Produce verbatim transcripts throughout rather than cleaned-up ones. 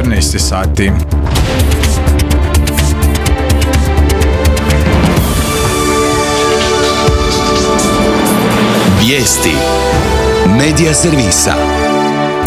četrnaest sati. Vijesti Medija servisa.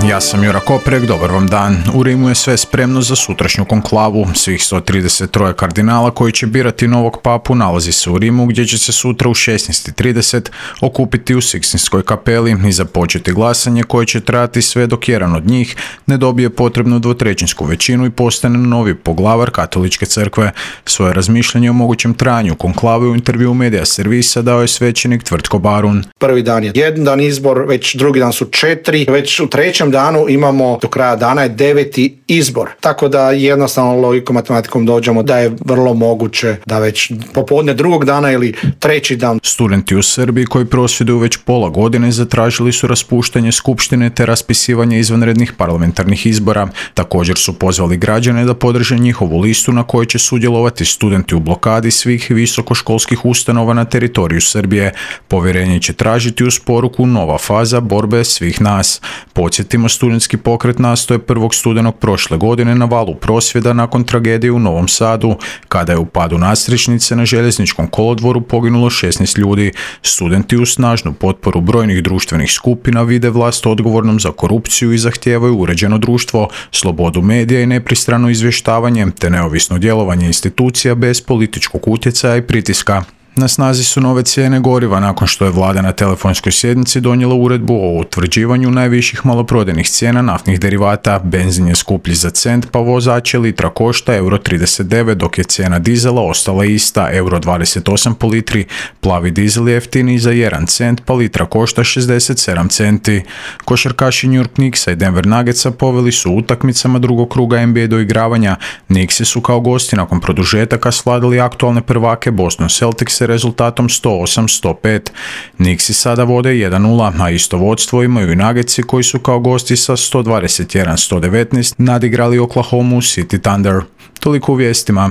Ja sam Jura Koprek, dobar vam dan. U Rimu je sve spremno za sutrašnju konklavu. Svih sto trideset tri kardinala koji će birati novog papu nalazi se u Rimu, gdje će se sutra u šesnaest trideset okupiti u Sikstinskoj kapeli i započeti glasanje koje će trajati sve dok jedan od njih ne dobije potrebnu dvotrećinsku većinu i postane novi poglavar katoličke crkve. Svoje razmišljanje o mogućem trajanju konklave u intervju Medija servisa dao je svećenik Tvrtko Barun. Prvi dan je jedan dan izbor, već drugi dan su četiri, već u trećem danu imamo do kraja dana je deveti izbor. Tako da jednostavno logikom matematikom dođemo da je vrlo moguće da već popodne drugog dana ili treći dan. Studenti u Srbiji koji prosvjeduju već pola godine zatražili su raspuštanje skupštine te raspisivanje izvanrednih parlamentarnih izbora. Također su pozvali građane da podrže njihovu listu na kojoj će sudjelovati studenti u blokadi svih visokoškolskih ustanova na teritoriju Srbije. Povjerenje će tražiti uz poruku nova faza borbe svih nas. Podsjetimo, studentski pokret nastao je prvog studenog prošle godine na valu prosvjeda nakon tragedije u Novom Sadu, kada je u padu nadstrešnice na željezničkom kolodvoru poginulo šesnaest ljudi. Studenti uz snažnu potporu brojnih društvenih skupina vide vlast odgovornom za korupciju i zahtijevaju uređeno društvo, slobodu medija i nepristrano izvještavanje, te neovisno djelovanje institucija bez političkog utjecaja i pritiska. Na snazi su nove cijene goriva nakon što je vlada na telefonskoj sjednici donijela uredbu o utvrđivanju najviših maloprodajnih cijena naftnih derivata. Benzin je skuplji za cent, pa vozače litra košta euro trideset devet, dok je cijena dizela ostala ista, euro dvadeset osam po litri. Plavi dizel je jeftiniji za jedan cent, pa litra košta šezdeset sedam centi. Košarkaši New York Knicksa i Denver Nuggetsa poveli su utakmicama drugog kruga N B A doigravanja. Knicksi su kao gosti nakon produžetaka svladali aktualne prvake Boston Celtics rezultatom sto osam sto pet. Knicksi sada vode jedan nula, a isto vodstvo imaju i Nuggetsi koji su kao gosti sa sto dvadeset jedan sto devetnaest nadigrali Oklahoma City Thunder. Toliko u vijestima.